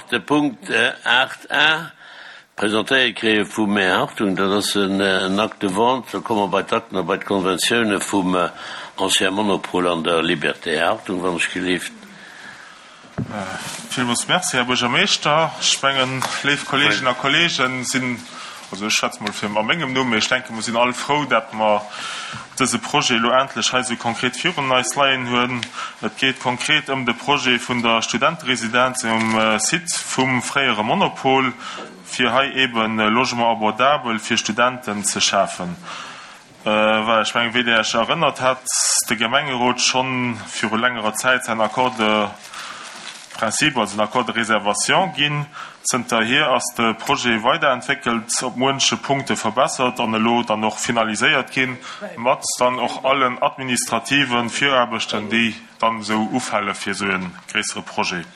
nach de Punkt 8 a presentéiert kréie vum Här Hartung. Dat ass en Acte de vente. Da komme mer bei d'Akten a bei d'Konventioune vum Ancien Monopol an der Liberté. Här Hartung, wann ech gelift. Villmools Merci, Här Buergermeeschter. Ech mengen, léif Kolleeginnen a Kolleegen, sinn, also ech schwätze mol fir a mengem Numm, mee ech denken, mer sinn all frou, dat mer dëse Projet elo endlech hei esou konkret virun eis leien hunn. Et geet konkret ëm de Projet vun der Studenteresidenz um Site vum fréiere Monopol, fir hei eeben Logement abordable fir Studenten ze schafen. Well ech mengen, wéi Dir Iech erënnert, hat de Gemengerot schonn viru längerer Zäit säin Accord de principe, also den Accord de réservation ginn. Zënterhier ass de Projet weiderentwéckelt, op muenche Punkte verbessert an elo dann och finaliséiert ginn, mat dann och allen administrative Viraarbechten, déi dann esou ufale fir esou e gréissere Projet.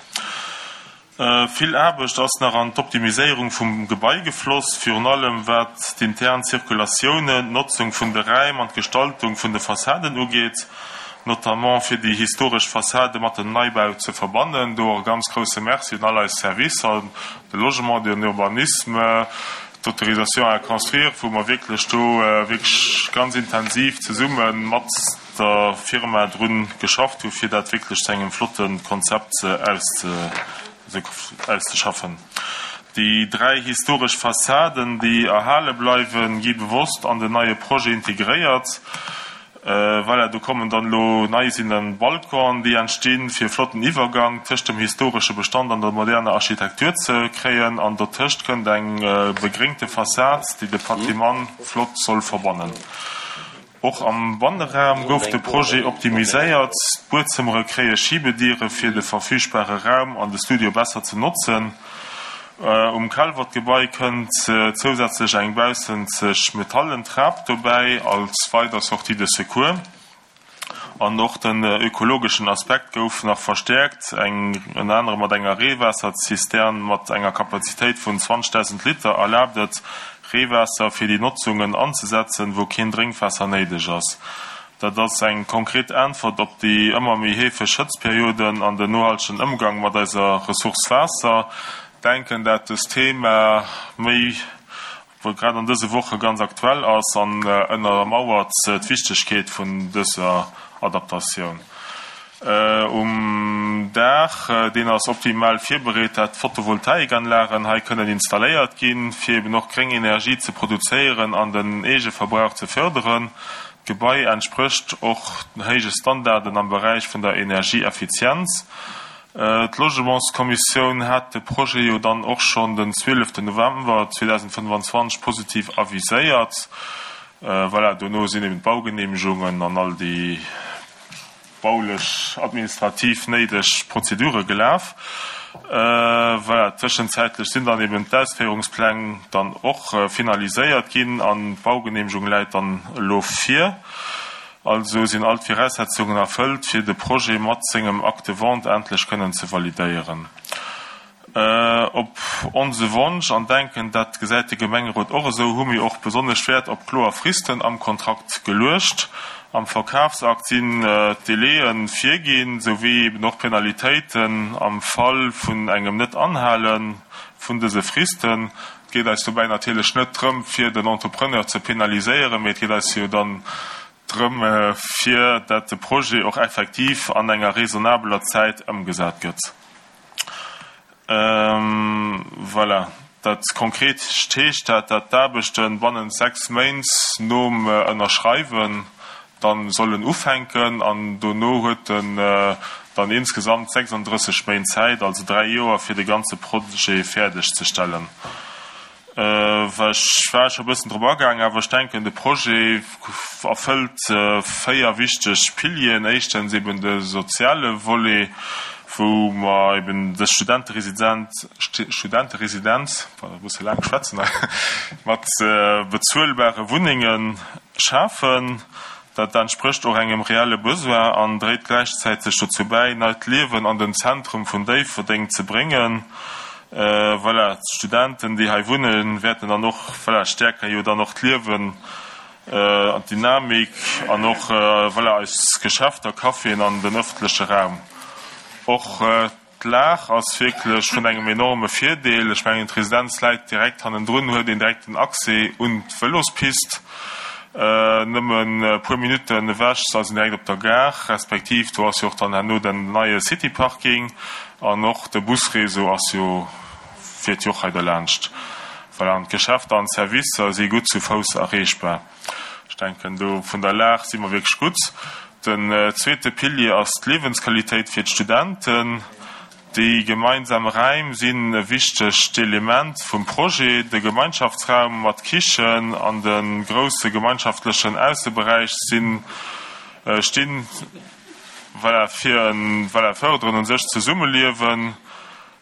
Vill Aarbecht ass nach an d'Optimiséierung vum Gebai gefloss, virun allem wat d'intern Zirkulatiounen, d'Notzung vun de Räim an d'Gestaltung vun de Fassaden ugeet, notamment fir déi historesch Fassade mat dem Neibau ze verbannen. Do och e ganz grousse Merci un all eis Servicer, de Logement, den Urbanisme, d'Autorisation à construire, wou mer wierklech do wierklech ganz intensiv zesumme mat der Firma drun geschafft hu fir dat wierklech zu engem flotte Konzept auszeschaffen. Déi 3 historesch Fassaden, déi erhale bleiwen, gi bewosst an den neie Projet integréiert. Voilà, do kommen dann elo nei sinn dann Balconen, déi entstinn, fir e flotten Iwwergang tëscht dem historesche Bestand an der moderner Architektur ze kréien. An dotëscht kënnt eng begréngte Fassad, déi de Patrimoine flott soll verbannen. Och am Banneraum gouf de Projet optimiséiert, D'Buedzëmmere kréie Schibediere fir de verfügbare Raum an de Studio besser ze notzen. Um Calvert-Gebai kënnt zousätzlech eng baussenzeg metallen Trap dobäi als weider Sortie de secours. An och den ökologeschen Aspekt gouf nach verstäerkt, eng ënner anerem mat enger Reewaasserzistern mat enger Kapazitéit vun 20.000 Liter erlaabt et, Reewaasser fir déi Notzungen anzesetzen, wou keen Drénkwaasser néideg ass. Dat ass eng konkret Äntwert op déi ëmmer méi heefeg Hëtztperioden an den nohaltegen Ëmgang mat eiser Ressource Waasser. Denken, dat dëst Thema méi wou grad an dëse Woche ganz aktuell ass an ënnermauert d'Wichtegkeet vun dëser Adaptatioun. Um Daach, deen ass optimal virbereet, dat d'Photovoltaikanlagen hei kënnen installéiert ginn, fir eben och gréng Energie ze produzéieren an den Eegeverbrauch ze fërderen. D'Gebai entsprécht och héije Standarden am Beräich vun der Energieeffizienz. D'Logementskommissioun hat de Projet jo dann och schonn den 12 November 2025 positiv aviséiert. Voilà, dono sinn eben d'Baugeneemegungen an all déi baulech, administrativ néideg Prozedure gelaf. Voilà, tëschenzäitlech sinn dann eben d'Ausféierungspläng dann och finaliséiert ginn an d'Baugeneemegung läit dann elo vir. Also sinn all d'Viraussetzungen erfëllt, fir de Projet mat sengem Acte de vente endlech kënnen ze validéieren. Op onse Wonsch, an denken, dat gesäit de Gemengerot och esou, hu mir och besonnesch Wäert op kloer Fristen am Kontrakt geluecht. Am Verkafsakt sinn d'Délaië virginn, souwéi eben och Penalitéiten am Fall vun engem Net-Anhale vun dëse Fristen. Et geet eis dobäi natierlech net drëm, fir den Entrepreneur ze penaliséieren, mee et geet eis jo dann drëm, fir dat de Projet och effektiv an enger raisonnabeler Zäit ëmgesat gëtt. Voilà. Dat konkret heescht dat, dat d'Aarbechte bannent 6 Méint nom Ënnerschreiwen dann sollen ufänken an dono huet en dann insgesamt 36 Méint Zäit, also 3 Joer, fir de ganze Projet fäerdeg ze stellen. Ech war scho e bëssen drop agaang, awer ech denken, de Projet erfëllt 4 wichteg Pilieren. Éischtens eben de soziale Volet, wou mer eben dës Studenteresidenz, Studenteresidenz, pardon, e bësse laang schwätzen hei, mat bezuelbare Wunnenge schafen. Dat entsprécht och engem reelle Besoin an dréit gläichzäiteg dozou bäi, neit Liewen an den Zentrum vun Déifferdeng ze bréngen. Voilà, d'Studenten, déi hei wunnen, wäerten dann och, voilà, stäerken jo dann och d'Liewen an d'Dynamik an och, voilà, eis Geschäfter, Caféen an den ëffentleche Raum och. D'Lag ass wierklech vun engem enorme Virdeel. Ech mengen, d'Residenz läit direkt hannendrun, huet een direkten Accès un d'Vëlospist. Nëmmen e puer Minutten ewech ass een direkt op der Gare, respektiv do ass jo och dann herno den neie City-Parking an och de Busréseau ass jo, fiert jo och hei derlaanscht. Voilà, an d'Geschäfter an d'Servicer si gutt zu Fouss erreechbar. Ech denken, do vun der Lag si mer wierklech gutt. Den zweete Pilier ass d'Liewensqualitéit fir d'Studenten. Déi gemeinsam Räim sinn e wichtegt Element vum Projet. De Gemeinschaftsraum mat Kichen an de grousse gemeinschaftlechen Ausseberäich sinn, stinn, voilà, fir e, voilà, fërderen u sech d'Zesummeliewen.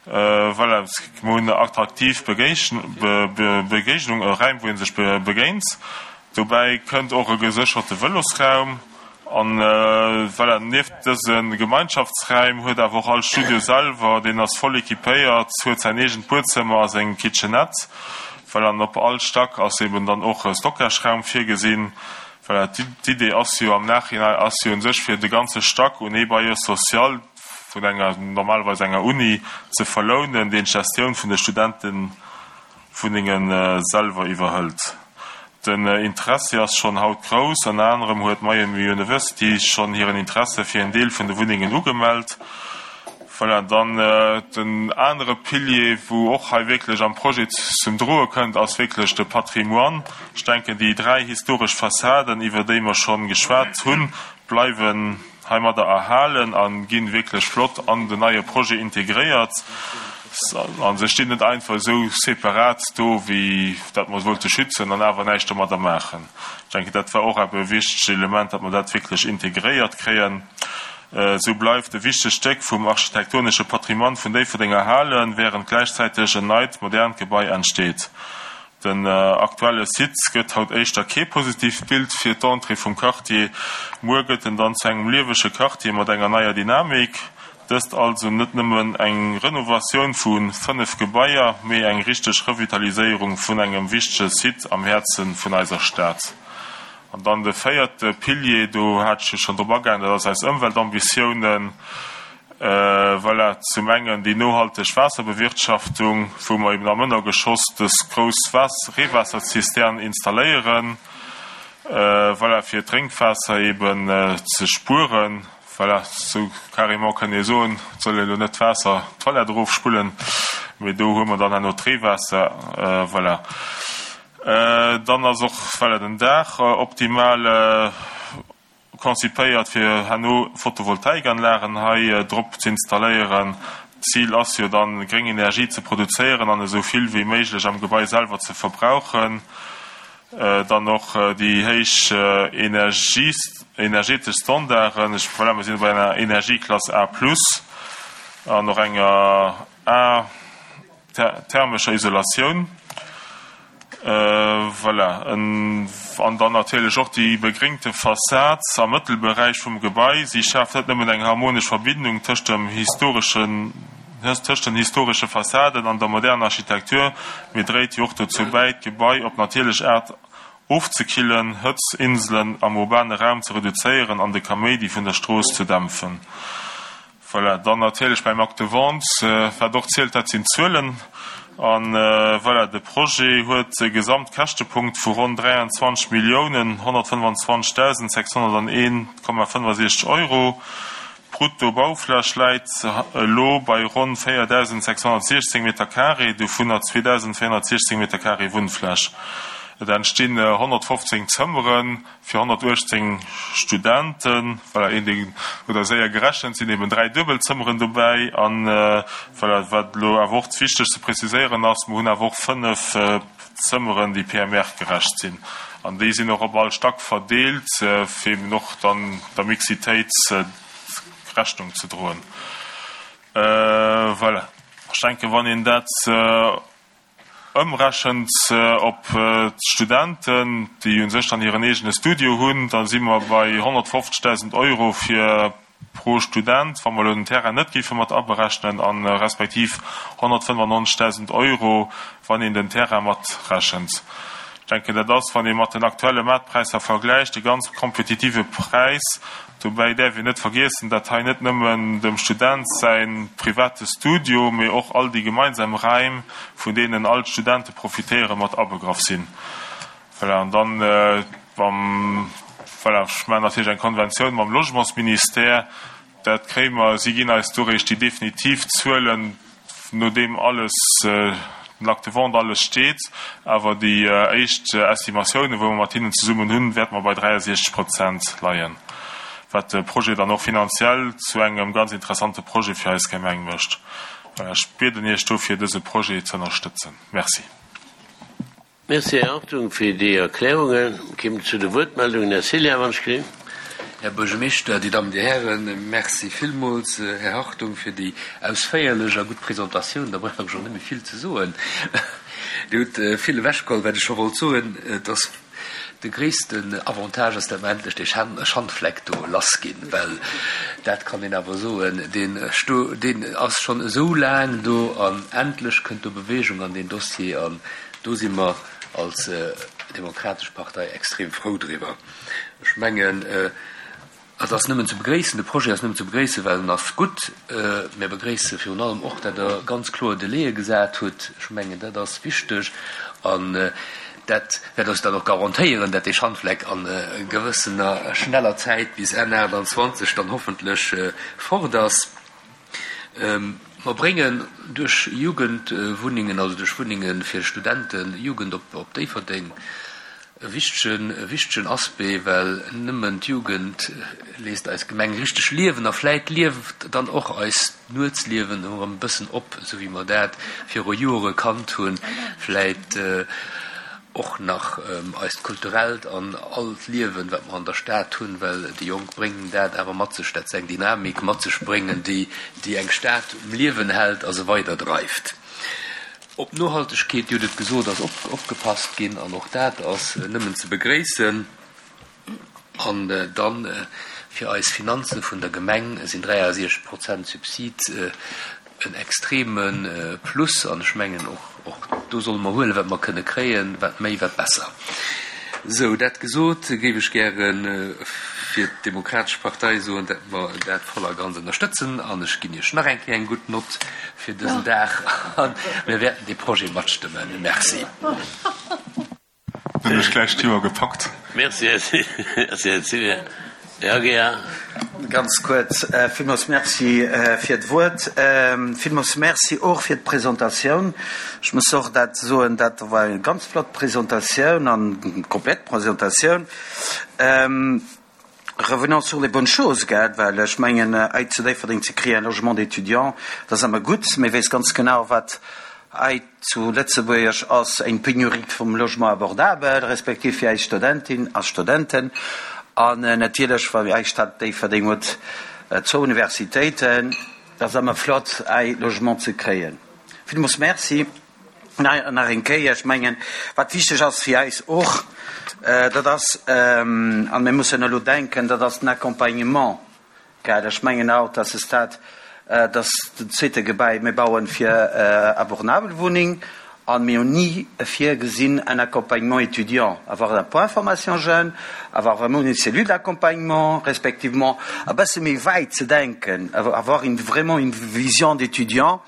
Voilà, mir hunn attraktiv Begéignung, e Räim, wou ee sech begéint. Dobäi kënnt och e gesécherte Vëlosraum. An voilà, nieft dëse Gemeinschaftsräim huet awer och all Studio selwer, deen ass voll equipéiert, huet säin eegent Buedzëmmer a seng Kitchenette. Voilà, an op all Stack ass eben dann och e Stockageraum virgesinn. Voilà, d'Idee ass jo am Nachhinein ass jo un sech fir de ganze Stack un ee Bailleur social, vun enger, normalerweis enger Uni, ze verlounen, deen d'Gestioun vun de Studentewunnenge selwer iwwerhëlt. Den Interessi ass schonn haut grouss. Ënner anerem huet d'Miami University schonn hiren Interesse fir en Deel vun de Wunnengen ugemellt. Voilà, dann den anere Pilier, wou och hei wierklech am Projet zum Droe kënnt, ass wierklech de Patrimoine. Ech denken, déi 3 historesch Fassaden, iwwer déi mer schonn geschwat hunn, bleiwen heimadder erhalen a ginn wierklech flott an den neie Projet integréiert a se stinn net einfach esou separat do, wéi dat mer se wollte schützen an awer näischt domadder maachen. Ech denken, dat war och awer e wichtegt Element, datt mer dat wierklech integréiert kréien. Esou bleift e wichtegt Stéck vum architektonesche Patrimoine vun Déifferdeng erhalen, während gläichzäiteg en neit, modernt Gebai entsteet. Den aktuelle Site gëtt haut éischter kee positiivt Bild fir d'Entrée vum Quartier. Muer gëtt en dann zu engem liewege Quartier mat enger neier Dynamik. Dëst also net nëmmen eng Renovatioun vu 5 Gebaier, mee eng richteg Revitaliséierung vun engem wichtege Site am Häerze vun eiser Stad. An dann de véierte Pilier, do hat ech jo schonn drop agaangen, dat ass eis Ëmweltambitiounen. Voilà, zum engen déi nohalteg Waasserbewirtschaftung, wou mer eben am Ënnergeschoss dës grouss Reewaasserzistern installéieren, voilà, fir d'Drénkwaasser eben ze spueren. Voilà, esou carrément kënnt ee soen, et soll een elo net d'Waasser d'Toilette erofspullen, mee do hu mer dann herno d'Reewaasser, voilà. Dann ass och, voilà, den Daach optimal. Konzipéiert fir herno Photovoltaikanlagen hei drop ze installéieren. D'Zil ass jo dann gréng Energie ze produzéieren an esou vill wéi méiglech am Gebai selwer ze verbrauchen. Dann och déi héich energetesch Standarden, ech voilà mir sinn bei enger Energieklass A plus an och enger A. Thermescher Isolatioun, voilà, an dann natierlech och déi begréngte Fassad am Mëttelberäich vum Gebai. Si schaaft net nëmmen eng harmonesch Verbindung tëscht dem historeschen, tëscht den historesche Fassaden an der moderner Architektur, mee dréit jo och dozou bäi, d'Gebai op natierlech Aart ofzekillen, Hëtzinselen am urbane Raum ze reduzéieren an de Kaméidi vun der Strooss ze dämpfen. Voilà, dann natierlech beim Acte de vente, wat och zielt, dat sinn d'Zuelen. A voilà, de Projet huet e Gesamtkäschtepunkt vu ronn 23 Milliounen 125.601,65 Euro. D'Brutto-Baufläch läit elo bei ronn 4.616 Meter-carré, dovunner 2.416 Meter-carré Wunnfläch. Et entstinn 115 Zëmmeren, Fir 118 Studenten, voilà, een deen huet da séier gerechent, sinn eben 3 Duebelzëmmeren dobäi. An voilà, wat elo awer och wichteg ze preziséieren ass, mer hunn awer och 5 Zëmmeren, déi PMR-gerecht sinn. An déi sinn och op all Stack verdeelt, fir eben och dann der Mixitéit Rechnung ze droen. Voilà, ech denken, wann een dat Ëmrechent op d'Studenten, déi u sech dann hiren eegene Studio hunn, da si mer bei 150.000 Euro fir pro Student, wa mer elo den Terrain net géife mat aberechnen, a respektiv 195.000 Euro, wann een den Terrain matrechent. Ech denken, dat ass, wann ee mat den aktuelle Maartpräisser vergläicht, e ganz kompetitive Präis. Dobäi däerf een net vergiessen, dat hei net nëmmen dem Student säi private Studio, mee och all déi gemeinsam Räim, vun deenen all d'Studente profitéieren, mat abegraff sinn. Voilà, an dann mam, voilà, ech maachen natierlech eng Konventioun mam Logementsministère. Dat kréie mer, si ginn eis do réischt déi definitiv Zuelen, nodeem alles, den Acte de vente, alles steet. Awer déi éischt Estimatiounen, wou mer mat hinnen zesummen hunn, wäerte mer bei 63 Prozent leien, wat de Projet dann och finanziell zu engem ganz interessante Projet fir eis Gemeng mécht. Voilà, ech bieden Iech dofir, dëse Projet ze ënnerstëtzen. Merci. Merci, Här Hartung, fir déi Erklärungen. Kéim zu de Wuertmeldungen. Här Cillien, wann ech gesinn. Här Buergermeeschter, Dir Dammen, Dir Hären, Merci villmools, Här Hartung, fir déi ausféierlech a gutt Presentatioun. Da brauch ech och net méi vill ze soen. Dir hutt vill ewechgeholl, wat ech scho wollt soen. Et ass de gréissten Avantage ass, datt mer endlech dee Schandfleck do lassginn, well dat kann een awer soen, deen deen ass schonn esou laang do an endlech kënnt do Bewegung an deen Dossier an Do si mer als Demokratesch Partei extrem frou driwwer. Ech mengen, et ass nëmmen ze begréissen, de Projet ass nëmmen ze begréissen, well en ass gutt. Mir begréisse virun allem och, datt Der ganz kloer Délaië gesat hutt. Ech mengen, dat ass wichteg an dat wäert eis dann och garantéieren, datt dee Schandfleck a gewëssener schneller Zäit bis Enn 28 dann hoffentlech fort ass. Mer bréngen duerch Jugendwunnengen, also duerch Wunnenge fir Studenten, Jugend op Déifferdeng, e wichtegen, e wichtegen Aspect, well nëmmen d'Jugend léisst eis Gemeng richteg liewen a vläit lieft dann och eist Nuetsliewen erëm e bëssen op, esou wéi mer dat viru Jore kannt hunn. Vläit och nach eist kulturellt an all d'Liewen, wat mer an der Stad hunn, well déi Jonk bréngen dat awer mat sech, dat se eng Dynamik mat sech bréngen, déi, déi eng Stad um Liewen hält a se weiderdreift. Op d'Nohaltegkeet, Dir hutt et gesot, ass opgepasst ginn an och dat ass nëmmen ze begréissen. An dann, fir eis Finanze vun der Gemeng sinn 63 Prozent Subsid en extreme Plus. An ech mengen, och do solle mer huelen, wat mer kënne kréien, wat méi, wat besser. Sou, dat gesot, géif ech gäre fir d'Demokratesch Partei soen, dat mer dat voll a ganz ënnerstëtzen. An ech ginn Iech nach eng Kéier eng gutt Nott fir dësen Dag. A mir wäerten dee Projet matstëmmen. Merci. Hunn ech gläich d'Joer gepackt. Merci, Här Cillien. Här Aguiar. Ganz kuerz, Villmools Merci fir d'Wuert. Villmools Merci och fir d'Presentatioun. Ech muss och dat soen, dat war eng ganz flott Presentatioun an komplett Presentatioun. Revenons sur les bonnes choses, gell, well ech mengen, hei zu Déifferdeng ze kréien, un logement d'étudiant, dat ass ëmmer gutt. Mir weess ganz genau, wat hei zu Lëtzebuerg ass, eng Pénurie vum Logement abordable, respektiv fir eis Studentin a Studenten. An natierlech, well eis Stad Déifferdeng huet zwou Universitéiten, dat ass ëmmer flott, hei Logement ze kréien. Villmools Merci. Nach eng Kéier, ech mengen, wat wichteg ass fir eis och, dat ass, a mir mussen elo denken, dat ass den Accompagnement. Gell, ech mengen haut à ce stade, dass den zweete Gebäi, mir bauen fir abordabel Wunneng an mir hunn ni virgesinn un accompagnement étudiant, avoir un point formation jeunes, avoir vraiment une cellule d'accompagnement, respectivement e bësse méi wäit ze denken, avoir une vraiment une vision d'étudiant.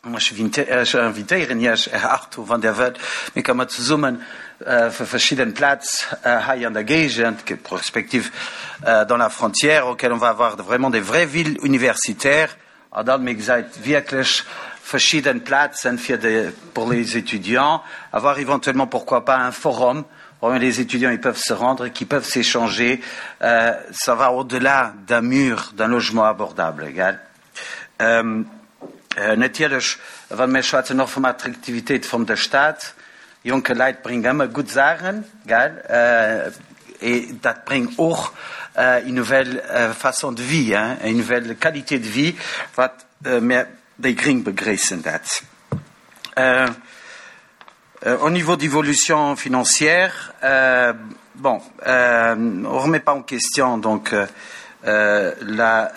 Ech invitéieren Iech, Här Arthur, wann Dir wëllt, mir kënne mer zesummen fir verschidden Plätz hei an der Géigend, respektiv dans la frontière, auquel on va avoir vraiment des vraies villes universitaires, an dann, mir gesäit wierklech verschidden Plätzen fir de, pour les étudiants, avoir éventuellement, pourquoi pas, un forum où les étudiants ils peuvent se rendre, qui peuvent s'échanger, ça va au-delà d'un mur, d'un logement abordable, gell. Natierlech, wa mir schwätzen och vum Attraktivitéit vum der Stad, jonke Leit bréngt ëmmer gutt Saachen, gell, et dat bréngt och une nouvelle façon de vie, hein, une nouvelle qualité de vie, wat mir déi Gréng begréissen dat. Au niveau d'évolution financière, bon, on remet pas en question donc la,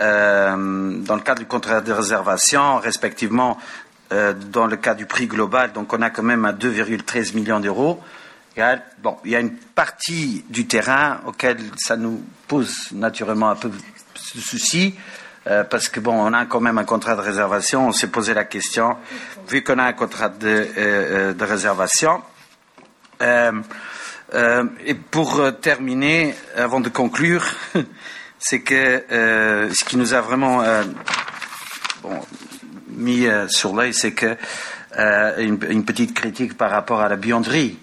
dans le cadre du contrat de réservation, respectivement dans le cas du prix global, donc on a quand même à 2,13 millions d'euros. Bon, il y a une partie du terrain auquel ça nous pose naturellement un peu de souci, euh, parce que bon, on a quand même un contrat de réservation, on s'est posé la question, vu qu'on a un contrat de, euh, euh de réservation. Euh, euh, et pour euh, terminer, avant de conclure, c'est que euh, ce qui nous a vraiment euh, bon, mis euh, sur l'œil, c'est que euh, une, une petite critique par rapport à la buanderie.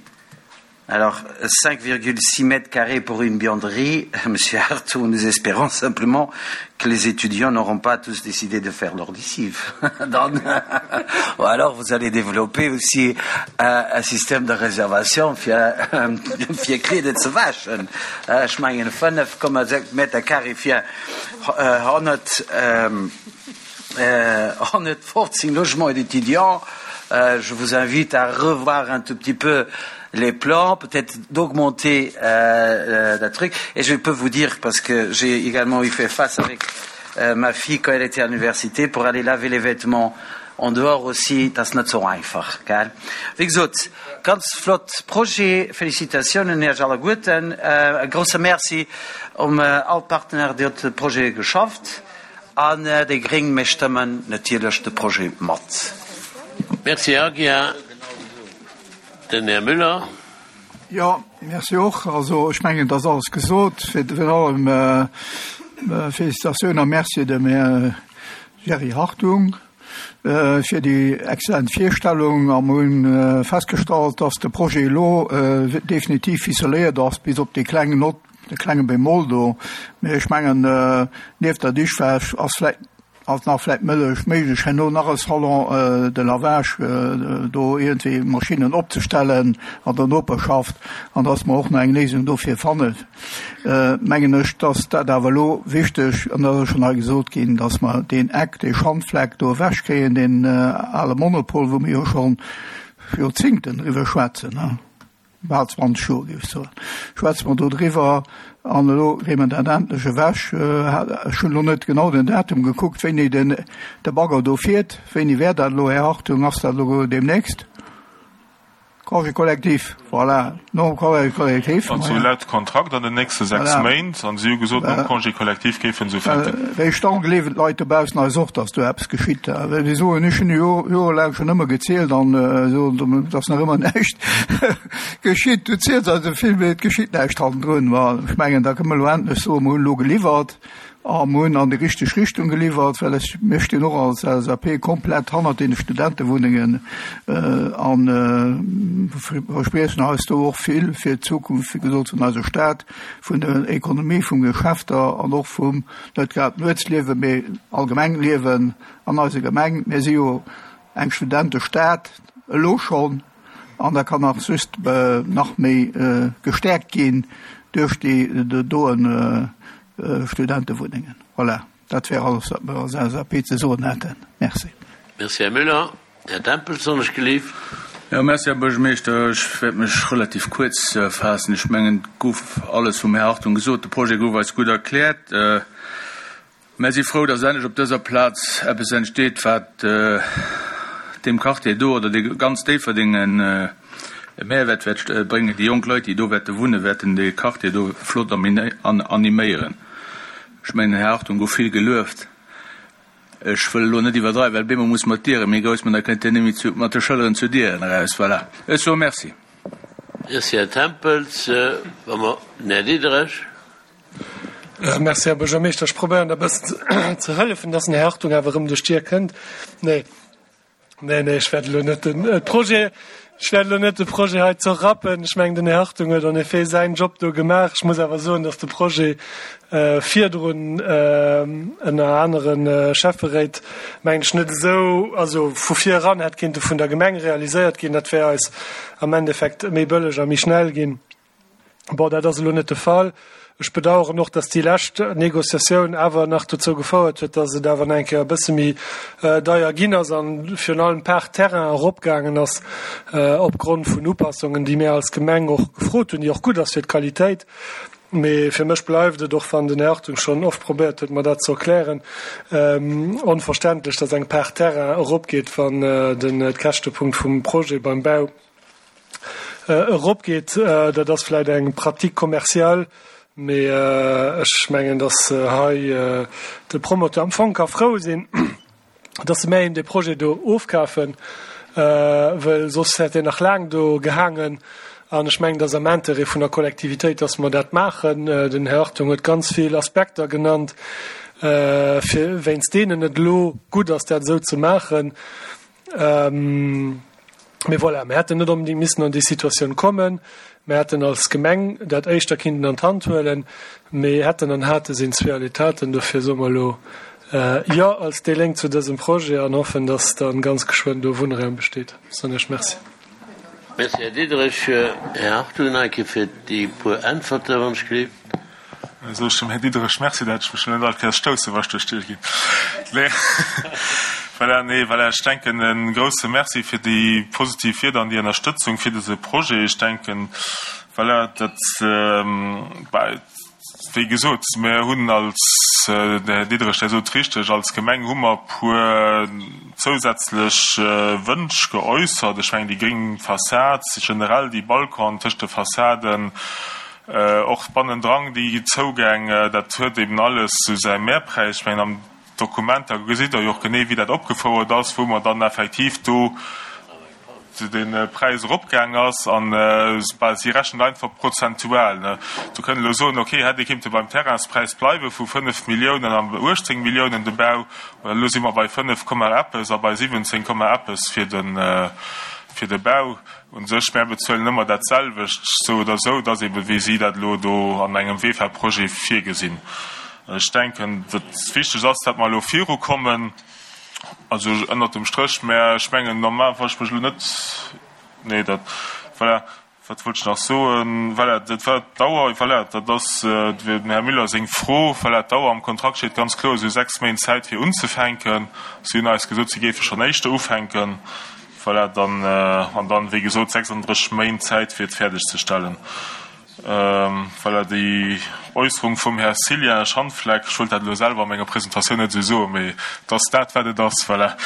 Alors 5,6 mètres carrés pour une buanderie, Monsieur Arthur, nous espérons simplement que les étudiants n'auront pas tous décidé de faire leur lessive. Ou alors vous allez développer aussi un, un système de réservation fir fir Kleeder ze wäschen. Ech mengen 5,6 Meter carré fir 100 115 logements d'étudiants. Je vous invite à revoir un tout petit peu les plans, peut-être d'augmenter euh, euh, le truc. Et je peux vous dire, parce que j'ai également eu fait face avec euh, ma fille quand elle était à l'université, pour aller laver les vêtements en dehors aussi, dat ass net sou einfach, gell? Wéi gesot, ganz flott Projet, Félicitatiounen Iech alleguerten, e grousse Merci um all d'Partenaires, déi op de Projet geschafft an déi Gréng, mir stëmmen natierlech de Projet mat. Merci, Här Aguiar. Den Här Müller. Jo, merci och. Also ech mengen, et ass alles gesot. Virun allem Félicitatioun a Merci dem Här Jerry Hartung fir déi exzellent Virstellung. A mer hu festgestallt, dass de Projet elo definitiv ficeléiert ass, bis op déi kleng Nott, de klenge Bémol do. Mee ech mengen, nieft der Dichwäsch ass vläicht Ass nach vläit mëllech méiglech herno nach e Salon de lavage do iergendwéi Maschinnen opzestellen an der Noperschaft an dass mer och nach eng Léisung dofir fannen, mengen ech, dass dat awer elo wichteg, an dat ass schonn hei gesot ginn, dass mer deen Eck, dee Schandfleck do ewechkréien, deen ale Monopol, wou mir jo schonn Joerzingten driwwer schwätzen. Bal 20 Joer, géif ech soen, schwätze mer do driwwer. An elo kréie mer dat endlech ewech. Ech hunn elo net genau den Datum gekuckt, wéini den de Bagger do fiert. Wéini wär dat elo, Här Hartung? Ass dat elo deemnächst? Congé collectif, voilà, nom Congé collectif. Also laut Kontrakt an den nächste 6 Méint. An si hu gesot, nom Congé collectif géife se ufänken. Wéi ech dann gleewen d'Leit dobaussen eis och, datt do eppes geschitt. Well si soen, ech hunn jo jorelaang schonn ëmmer gezielt an soen, et ass nach ëmmer näischt geschitt. Du ziels eis esou vill, mee et geschitt näischt hannendrun. Ma ech mengen, da kënne mer elo endlech soen, mer hunn elo geliwwert a mer hunn an déi richteg Richtung geliwwert, well ech, mir stinn och als LSAP komplett hannert deene Studentewunnengen a verspriechen eis do och vill fir d'Zukunft, wéi gesot, vun eiser Stad. vun der Ekonomie, vum Geschäfter an och vum, net grad Nuetsliewen, mee allgemeng Liewen an eiser Gemeng. Mir si jo eng Studentestad elo schonn an da kann nach just nach méi gestäerkt ginn duerch déi doen Studentewunnengen. Voilà, dat wär alles, wat mir als LSAP ze soen hätten. Merci. Merci, Här Müller. Här Tempels, wann ech gelift. Jo, merci, Här Buergermeeschter. Ech wäert mech relativ kuerz faassen. Ech mengen, et gouf alles vum Här Hartung gesot. De Projet gouf eis gutt erkläert. Mär si frou, dass endlech op dëser Plaz eppes entsteet, wat deem Quartier do oder de ganz Déifferdeng e Mehrwert wäert bréngen. Déi jonk Leit, déi do wäerte wunnen, wäerten dee Quartier do flott animéieren. Ech mengen, den Här Hartung gouf vill gelueft. Ech wëll elo net iwwerdreiwen, well bemol muss mer d'Diere méi grouss man, da kënnt Dir net méi zu, mat de Schëlleren zu Dieren eraus. Voilà. Ech soe Merci. Merci, Här Tempels. Wa mer den Här Diderich. Merci, Här Buergermeeschter. Ech probéieren der e bëssen ze hëllefen, dass den Här Hartung awer erëm duerch d'Dier kënnt. Nee. Nee, nee, ech wäert elo net den Projet, ech wäert elo net de Projet hei zerrappen. Ech mengen, den Här Hartung huet en effet säin Job do gemaach. Ech muss awer soen, datt de Projet virdrun ënner anere Schäfferéit, mengen ech, net esou, also vu vir eran hätt kinnte vun der Gemeng realiséiert ginn. Dat wär eis am Endeffekt méi bëlleg a méi schnell ginn. Bon, dat ass elo net de Fall. Ech bedauern och, dass déi lescht Négociatioun awer nach dozou gefouert huet, dass et awer nach eng Kéier e bësse méi deier ginn ass an virun allem d'Part Terrain eropgaangen ass opgrond vun Upassungen, déi mir als Gemeng och gefrot hunn, déi och gutt ass fir d'Qualitéit. Mee fir mech bleift et, och wann den Här Hartung schonn oft probéiert huet, mer dat ze erklären, onverständlech, dass eng Part Terrain eropgeet, wann den Käschtepunkt vum Projet beim Bau. eropgeet. Dat ass vläicht eng Pratique commerciale, mee ech mengen, datt hei de Promoteur am Fong ka frou sinn, datt se mär him dee Projet do ofkafen, well soss hätt deen nach laang do gehaangen. An ech mengen, et ass am Intérêt vun der Kollektivitéit, datt mer dat maachen. Den Här Hartung huet ganz vill Aspekter genannt, fir wéinst deenen et elo gutt ass, dat esou ze maachen. Mee voilà, mir hätten net onbedéngt missen an déi Situatioun kommen. Mir hätten als Gemeng dat éischter kinnten an d'Hand huelen. Mee hätten an hate sinn zwee Aletaten. Dofir soe mer elo Jo als déi Lénk zu dësem Projet an hoffen, dass dann ganz geschwënn do Wunnraum besteet. Soen ech Merci. Merci, Här Diderich. Här Hartung, nach eng Kéier fir déi puer Äntwerte, wann ech gleef. Soe ech dem Här Diderich Merci, dat ech mech elo net all Kéiers stousse wa ech duerch d'Dier ginn. Nee, voilà, nee, voilà, ech denken e grouse Merci fir déi positiv Wierder an déi Ënnerstëtzung fir dëse Projet. Ech denken, voilà, dat, bah, wéi gesot, mir hunn als, de Här Diderich, där sot richteg, als Gemeng hu mer e puer zousätzlech Wënsch geäussert. Ech mengen déi gréng Fassad, generell déi Balconen tëscht de Fassaden, Och bannendran déi Zougäng, dat huet eben alles sou säi Mehrpräis. Ech mengen, am Dokument, da gesitt Der jo och genee, wéi dat opgefouert ass, wou mer dann effektiv do de Präis eropgaang ass. An, bah, si rechnen einfach prozentual. Do kënnt elo soen, okay, hätt ee kinnte beim Terrainspräis bleiwe vu 5 Milliounen an 18 Milliounen de Bau, elo si mer bei 5 Komma eppes a bei 17 Komma eppes fir de Bau. U sech, mär bezuelen ëmmer dat selwecht, sou oder sou, et ass ebe wéi si dat elo do an engem VEFA-Projet virgesinn. Ech denken, wat wichteg ass, dat mer elo virukommen, also ënnert dem Stréch, mä ech mengen normal, wa ech mech elo net, nee, dat, voilà, wat wollt ech nach soen, voilà, dat war d'Dauer, voilà, dat ass dem Här Müller seng Fro, voilà, d'Dauer am Kontrakt steet ganz kloer, si hu 6 Méint Zäit fir unzefänken. Si hunn eis gesot, si géife schonn éischter ufänken. Voilà, dann, an dann, wéi gesot, 36 Méint Zäit, fir et fäerdegzestellen. Voilà, déi Äusserung vum Här Cillien Schandfleck, ech wollt dat elo selwer a menger Presentatioun net esou soen, mee et ass dat, wat et ass. Voilà,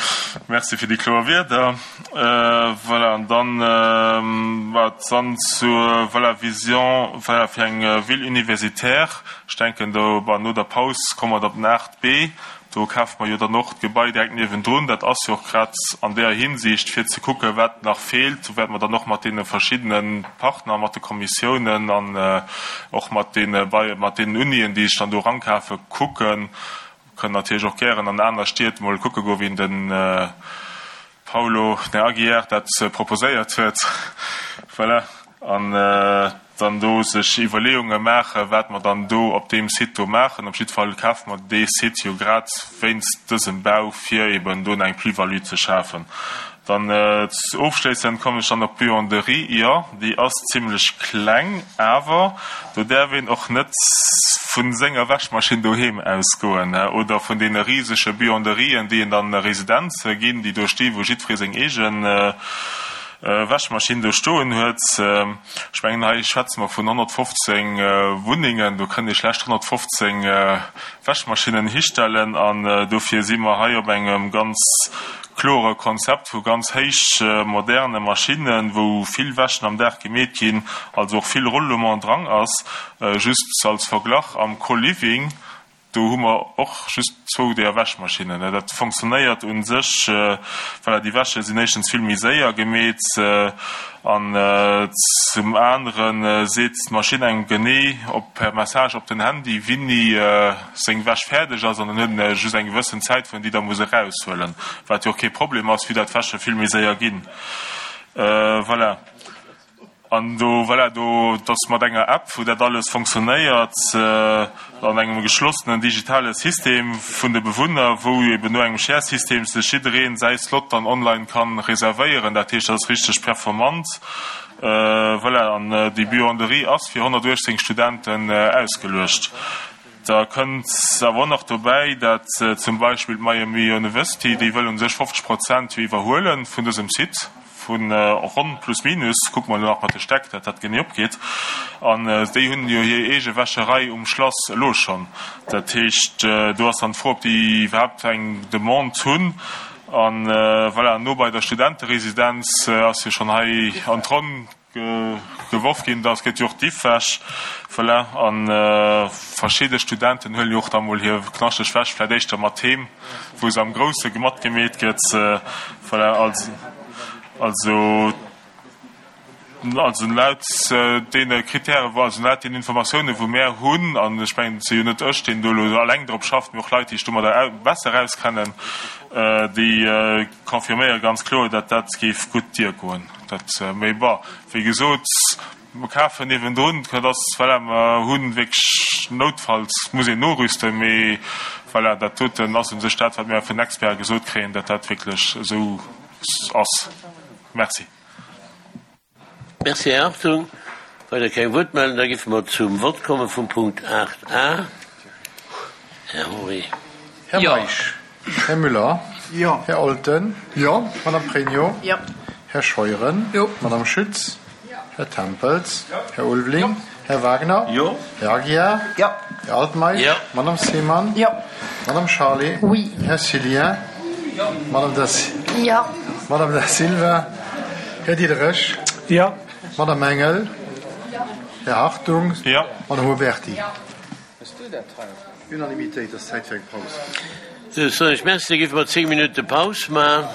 merci fir déi kloer Wierder. Voilà, an dann, wat dann zur, voilà, Vision, voilà, fir eng Ville universitaire, ech denken do, bon, no der Paus komme mer da op den 8b, Do kafe mer jo dann och d'Gebai direkt niewendrun. Dat ass jo och grad an där Hinsicht, fir ze kucken, wat nach feelt. Do wäerte mer dann och mat deene verschiddene Partner, mat de Kommissiounen an och mat deene, mat deenen Unien, déi sech dann do erankafen, kucken. Kënnen natierlech och gären an aner Stied mol kucke goen, wéi den Paulo de Aguiar dat proposéiert huet. Voilà. An dann do sech Iwwerleeunge maachen, wat mer dann do op deem Site do maachen. Op jiddwer Fall kafe mer dee Site jo grad wéinst dësem Bau, fir eben do eng Plus-value ze schafen. Dann ofschléissend kommen ech dann op d'Buanderie. Jo, déi ass zimlech kleng, awer do däerf een och net vu senger Wäschmaschinn doheem ausgoen oder vun deene risege Buanderien, déi een dann Residenze ginn, déi do sti wou jiddweree seng eegen Wäschmaschinn do stoen huet. Ech mengen, hei schwätze mer vun 115 Wunnengen, do kënnt ee schlecht 115 Wäschmaschinnen histellen an dofir si mer hei op engem ganz klore Konzept vu ganz héich moderne Maschinnen, wou vill Wäschen am Dag gemeet ginn, also och vill Roulement drang ass. Just als Verglach, am Co-Living, do hu mer och just zwou deeër Wäschmaschinnen. Dat fonctionnéiert u sech, voilà, déi Wäsche sinn éischtens vill méi séier gemeet an zum anere seet d'Maschinn engem genee op per Message op den Handy, wéini seng Wäsch fäerdeg ass an dann huet en just eng gewëssen Zäit, wou en déi da muss eraushuelen, wat jo och kee Problem ass, vue dat d'Wäsche vill méi séier ginn. Voilà. An do, voilà, do, et ass mat enger App, wou dat alles fonctionnéiert, an engem geschlossenen digitale System vun de Bewunner, wou eben no engem Share-System sech jiddereen säi Slot dann online kann reservéieren. Dat heescht, dat ass richteg performant. Voilà, an déi Buanderie ass fir 118 Studenten ausgeluecht. Da kënnt awer och nach dobäi, dat zum Beispill d'Miami University, déi wëll u sech 50 Prozent jo iwwerhuele vun dësem Site, vu ronn plus minus, kucke mer elo nach mat de Stäck, dat dat genee opgeet, an déi hunn jo hir eege Wäscherei um Schlass elo schonn. Dat heescht, do ass dann d'Fro, ob déi iwwerhaapt eng Demande hunn. A voilà, no bei der Studenteresidenz ass jo schonn hei an d'Ronn. Geworf ginn, da gëtt jo och d'Iffwäsch, voilà, a verschidde Studenten huelen jo och da mol hir knaschteg Wäsch vläicht éischter mat heem, wou se am Grousse matgemeet gëtt, voilà. Also, also laut deene Kritären, also laut deenen Informatiounen, wou mär hunn, an ech mengen, et si jo net ech, deen do elo eleng drop schafft, mee och Leit, déi sech domadder besser auskennen, déi confirméiere ganz kloer, datt dat géif gutt diergoen. Dat, mee bon, wéi gesot, mer kafen niewendrun, dat ass, voilà, mer hu wierklech noutfalls muss een norüsten, mee voilà, dat doten ass u sech dat, wat mir vun den Experte gesot kréien, datt dat wierklech esou ass. Merci. Merci, Här Hartung. Weider keng Wuertmeldung, da géife mer zum Vott komme vum Punkt 8 a. Här Henri. Här Meisch. Här Müller. Jo. Här Olten. Jo. Madame Pregno. Jo. Här Scheuren. Jo. Madame Schütz. Jo. Här Tempels. Jo. Här Ulveling. Jo. Här Wagner. Jo. Här Aguiar. Jo. Här Altmeisch. Jo. Madame Seemann. Jo. Madame Charlé. Oui. Här Cillien. Jo. Madame Da, Jo. Madame Da Silva. Här Diderich. Jo. Madame Engel. Jo. Här Hartung. Jo. Madame Huberty. Jo. Unanimitéit, et ass Zäit fir eng Paus. Sou, soen ech Merci, da géife mer 10 Minutte Paus maachen.